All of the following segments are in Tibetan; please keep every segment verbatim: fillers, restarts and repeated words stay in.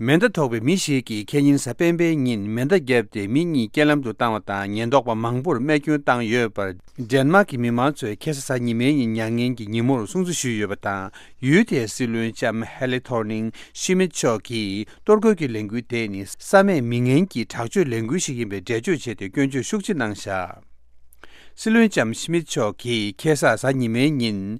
མེ་མདའ་ཐོགས་པའི་མི་ཞིག་གིས་ཁེ་ཉིན་གཟའ་སྤེན་པའི་ཉིན་མེ་མདའ་བརྒྱབ་སྟེ་མི་གཉིས་རྐྱེན་ལམ་དུ་བཏང་བ་དང་། ཉེན་རྟོག་པ་མང་པོར་རྨས་སྐྱོན་བཏང་ཡོད་པར། ཌེན་མཱག་གི་མི་མང་ཚོས་ཁ་སང་གཟའ་ཉི་མའི་ཉིན་མྱ་ངན་གྱི་ཉིན་མོར་སྲུང་བརྩི་ཞུས་ཡོད་པ་དང་། ཡུལ་དེའི་སྲིད་བློན་ལྕམ་ཧེ་ལེ་ཐོར་ནིང་ཤི་མིད་མཆོག་གིས་གཏོར་རྒོལ་གྱི་ལས་འགུལ་དེ་ནི་བསམ་མེད་མི་ངན་གྱི་དྲག་སྤྱོད་ལས་འགུལ་ཞིག་ཡིན་པའི་འགྲེལ་བརྗོད་བྱས་ཏེ། སྐྱོན་བརྗོད་ཤུགས་ཆེ་གནང་བཞག། སྲིད་བློན་ལྕམ་ཤི་མིད་མཆོག་གིས་ཁ་སང་གཟའ་ཉི་མའི་ཉིན།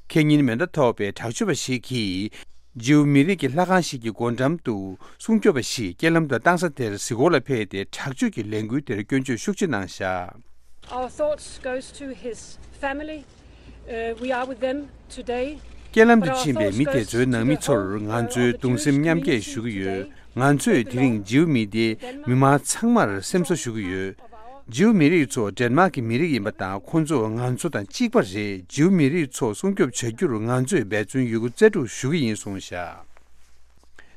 ཁེ་ཉིན་མེ་མདའ་ཐོགས་པའི་དྲག་སྤྱོད་པ་ཞིག་གིས་ཇིའུ་མི་རིགས་ཀྱི་ལྷ་ཁང་ཞིག་གི་སྒོ་འགྲམ་དུ་སྲུང་སྐྱོབ་པ་ཞིག་རྐྱེན་ལམ་དུ་བཏང་ས་དེར་གཟིགས་སྐོར་ལ་ཕེབས་ཏེ། དྲག་སྤྱོད་ཀྱི་ལས་འགུལ་དེར་སྐྱོན་བརྗོད་ཤུགས་ཆེ་གནང་བཞག། Our thoughts goes to his family. Uh, we are with them today. རྐྱེན་ལམ་དུ་ཕྱིན་པའི་མི་དེ་ཚོའི་ནང་མི་ཚོར་ང་ཚོས་གདུང་སེམས་མཉམ་སྐྱེད་ཞུ་གི་ཡོད། ང་ཚོས་དེ་རིང་ཇིའུ་མི་སྡེའི་མི་མང་ཚང་མར་སེམས་གསོ་ཞུ་གི་ཡོད། ཇིའུ་མི་རིགས་ཚོ་ཌེན་མཱག་གི་མི་རིགས་ཡིན་པ་དང་། ཁོང་ཚོ་ང་ཚོ་དང་གཅིག་པ་རེད། ཇིའུ་མི་རིགས་ཚོ་སྲུང་སྐྱོབ་བྱ་རྒྱུར་ང་ཚོས་འབད་བརྩོན་ཡོད་རྒུ་རྩལ་སྤྲུགས་ཞུ་གི་ཡིན་གསུངས་བཞག།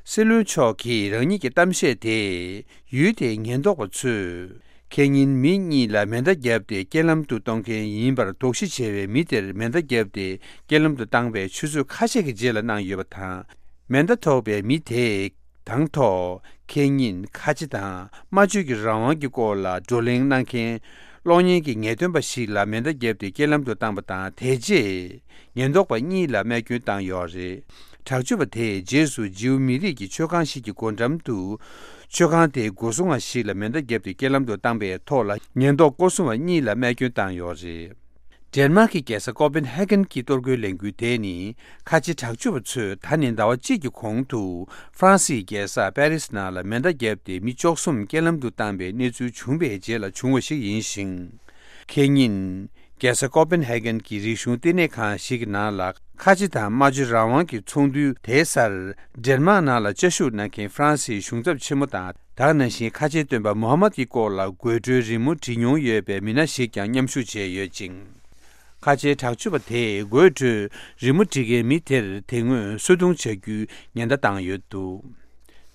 སྲིད་བློན་མཆོག་གིས་རང་ཉིད་ཀྱི་གཏམ་བཤད་དེ། ཡུལ་དེའི་ཉེན་རྟོག་པ་ཚོས་ཁེ་ཉིན་མི་གཉིས་ལ་མེ་མདའ་བརྒྱབ་སྟེ་རྐྱེན་ལམ་དུ་གཏོང་མཁན་ཡིན་པར་དོགས་གཞི་ཆེ་བའི་མི་དེར་མེ་མདའ་བརྒྱབ་སྟེ་རྐྱེན་ལམ་དུ་བཏང་བའི་ཆུ་ཚོད་ཁ་ཤས་ཀྱི་རྗེས་ལ་གནང་ཡོད་པ་དང་། མེ་མདའ་ཐོགས་པའི་མི་དེས་དང་ཐོག་ཁེ་ཉིན་ཁ་ཆེ་དང་སྨྲ་བརྗོད་ཀྱི་རང་དབང་གི་སྐོར་ལ་བགྲོ་གླེང་གནང་མཁན་གློག་བརྙན་གྱི་ངེས་སྟོན་པ་ཞིག་ལ་མེ་མདའ་བརྒྱབ་སྟེ་རྐྱེན་ལམ་དུ་བཏང་བ་དང་། དེ་རྗེས་ཉེན་རྟོག་པ་གཉིས་ལ་རྨས་སྐྱོན་བཏང་ཡོད་རེད། དྲག་སྤྱོད་པ་དེས་རྗེས་སུ་ཇིའུ་མི་རིགས་ཀྱི་མཆོད་ཁང་ཞིག་གི་སྒོ་འགྲམ་དུ། མཆོད་ཁང་དེའི་སྒོ་སྲུང་བ་ཞིག་ལ་མེ་མདའ་བརྒྱབ་སྟེ་རྐྱེན་ལམ་དུ་བཏང་པའི་ཐོག་ལ། ཉེན་རྟོག་སྐོར་སྲུང་བ་གཉིས་ལ་རྨས་སྐྱོན་བཏང་ཡོད་རེད། ཌེན་མཱག་གི་རྒྱལ་ས་ཀོ་པན་ཧེ་གན་གྱི་གཏོར་རྒོལ་ལས་འགུལ་དེ་ནི། ཁ་ཆེ་དྲག་སྤྱོད་པ་ཚོས་ད་ནི་ཟླ་བ་གཅིག་གི་གོང་དུ། ཧྥ་རན་སིའི་རྒྱལ་ས་པེ་རིས་ནང་ལ་མེ་མདའ་བརྒྱབ་སྟེ་མི་བཅུ་གསུམ་རྐྱེན་ལམ་དུ་བཏང་པའི་གནས་ཚུལ་བྱུང་བའི་རྗེས་ལ་བྱུང་བ་ཞིག་ཡིན་ཞིང་། ཁེ་ཉིན། རྒྱལ་ས་ཀོ་པན་ཧེ་གན་གྱི་རིག་གཞུང་བསྟི་གནས་ཁང་ཞིག་གི་ནང་ལ། ཁ་ཆེ་དང་སྨྲ་བརྗོད་རང་དབང་གི་ཚོགས་འདུའི་དེའི་སར། ཌེན་མཱག་ནང་ལ་བཅའ་བཞུགས་གནང་མཁན་ཧྥ་རན་སིའི་གཞུང་ཚབ་ཆེན་མོ་དང་། ད་ག་ནང་བཞིན་ཁ་ཆེའི་སྟོན་པ་མུ་ཧམ་མད་ཀྱི་སྐོར་ལ་དགོད་བྲོའི་རི་མོ་བྲིས་མྱོང་ཡོད་པའི་མི་སྣ་ཞིག་ཀྱང་མཉམ་ཞུགས་བྱས་ཡོད་ཅིང་། ཁ་ཆེའི་དྲག་སྤྱོད་པ་དེས་དགོད་བྲོའི་རི་མོ་བྲིས་མཁན་མི་དེར་དེ་སྔོན་གསོད་རྡུང་བྱ་རྒྱུའི་ཉེན་བརྡ་བཏང་ཡོད་འདུག།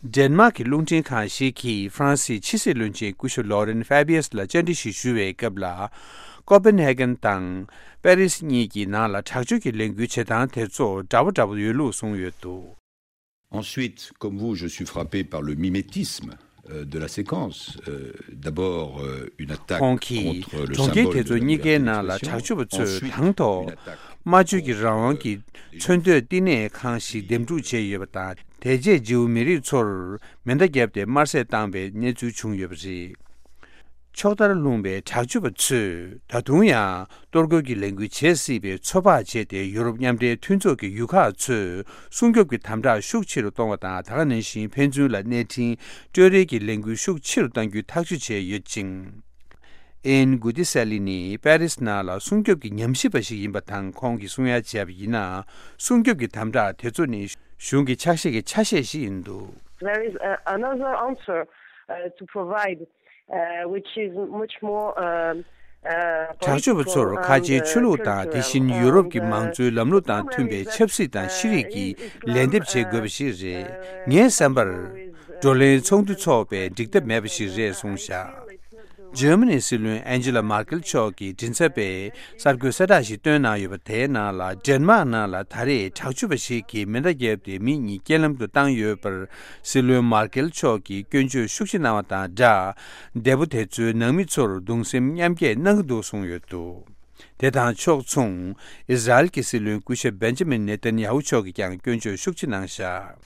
ཌེན་མཱག་གི་རླུང་འཕྲིན་ཁང་ཞིག་གིས་ཧྥ་རན་སིའི་ཕྱི་སྲིད་བློན་ཆེན་སྐུ་ཞབས་ལོ་རེན་ཧྥེ་བྷི་ཡས་ལ་བཅར་འདྲི་ཞིག་ཞུ་བའི་སྐབས་ལ། ཀོ་པན་ཧེ་གན་དང་པེ་རིས་གཉིས་ཀྱི་ནང་ལ་དྲག་སྤྱོད་ཀྱི་ལས་འགུལ་བྱེད་སྟངས་དེ་ཚོ་འདྲ་བོ་འདྲ་བོ་ཡོད་ལུགས་གསུངས་ཡོད་འདུག། Ensuite, comme vous, je suis frappé par le mimétisme, euh, de la séquence. Euh, d'abord, euh, une attaque contre le symbole de la liberté d'expression. Ensuite, une attaque, ཁོང་གིས་གྲོང་ཁྱེར་དེ་ཚོ་གཉིས་ཀའི་ནང་ལ་དྲག་སྤྱོད་པ་ཚོས་དང་ཐོག་སྨྲ་བརྗོད་ཀྱི་རང་དབང་གི་མཚོན་དོད་བསྟི་གནས་ཁང་ཞིག་འདེམས་སྒྲུག་བྱས་ཡོད་པ་དང་། དེ་རྗེས་ཇིའུ་མི་རིགས་ཚོར་མེ་མདའ་བརྒྱབ་སྟེ་དམར་གསོད་བཏང་བའི་གནས་ཚུལ་བྱུང་ཡོད་པ་རེད། ཕྱོགས་མཐར་ལྷུང་བའི་དྲག་སྤྱོད་པ་ཚོས་ད་དུང་ཡང་གཏོར་རྒོལ་གྱི་ལས་འགུལ་བྱེད་སྲིད་པའི་ཚོད་དཔག་བྱས་ཏེ། ཡུ་རོབ་མཉམ་འབྲེལ་མཐུན་ཚོགས་ཀྱི་ཡུལ་ཁག་ཚོས་སྲུང་སྐྱོབ་ཀྱི་དམ་དྲག་ཤུགས་ཆེ་རུ་གཏོང་བ་དང་། ད་ག་ནང་བཞིན་ཕན་ཚུན་ལ་གནས་འཕྲིན་སྤྲོད་རེས་ཀྱི་ལས་འགུལ་ཤུགས་ཆེ་རུ་གཏང་རྒྱུའི་ཐག་གཅོད་བྱས་ཡོད་ཅིང་། ཨེན་གུ་ཏི་སེ་ལི་ནི་པེ་རིས་ནང་ལ་སྲུང་སྐྱོབ་ཀྱི་ཉམས་ཞིབ་པ་ཞིག་ཡིན་པ་དང་། ཁོང་གིས་གསུང་ཡ་བྱས་པ་ཡིན་ན། སྲུང་སྐྱོབ་ཀྱི་དམ་དྲག་དེ་ཚོ་ནི་གཞུང་གི་ཕྱག་བཞེས་ཀྱི་ཆ་ཤས་ཤིག་ཡིན་འདུག། There is, uh, another answer, uh, to provide, uh, which is much more, um, uh, དྲག་སྤྱོད་པ་ཚོར་ཁ་ཆེའི་ཆོས་ལུགས་དང་། དེ་བཞིན་ཡུ་རོབ་ཀྱི་མང་གཙོའི་ལམ་ལུགས་དང་མཐུན་པའི་ཆབ་སྲིད་དང་ཤེས་རིག་གི་ལན་འདེབས་བྱེད་དགོས་པ་ཞིག་རེད། ངའི་བསམ་པར། བགྲོ་གླེང་ཚོགས་འདུ་འཚོགས་པའི་འགྲིག་ཐབས་མེད་པ་ཞིག་རེད་གསུངས་བཞག། འཇར་མ་ནིའི་སྲིད་བློན་ཨན་ཇི་ལ་མར་ཀེལ་མཆོག་གིས་མགྲིན་ཚབ་པས་གསར་འགོད་གསལ་བསྒྲགས་ཤིག་བཏོན་གནང་ཡོད་པ། དེའི་ནང་ལ། ཌེན་མཱག་ནང་ལ་ད་རེས་དྲག་སྤྱོད་པ་ཞིག་གིས་མེ་མདའ་བརྒྱབ་སྟེ་མི་གཉིས་རྐྱེན་ལམ་དུ་བཏང་ཡོད་པར། སྲིད་བློན་མར་ཀེལ་མཆོག་གིས་སྐྱོན་བརྗོད་ཤུགས་ཆེ་གནང་བ་དང་སྦྲགས། འདས་པོ་དེ་ཚོའི་ནང་མི་ཚོར་གདུང་སེམས་མཉམ་སྐྱེད་གནང་གི་འདུག་གསུངས་ཡོད་འདུག། དེ་དང་ཕྱོགས་མཚུངས། ཨི་ཟ་རེལ་གྱི་སྲིད་བློན་སྐུ་ཞབས་བེན་ཇ་མིན་ནེ་ཐན་ཡ་ཧུ་མཆོག་གིས་ཀྱང་སྐྱོན་བརྗོད་ཤུགས་ཆེ་གནང་བཞག།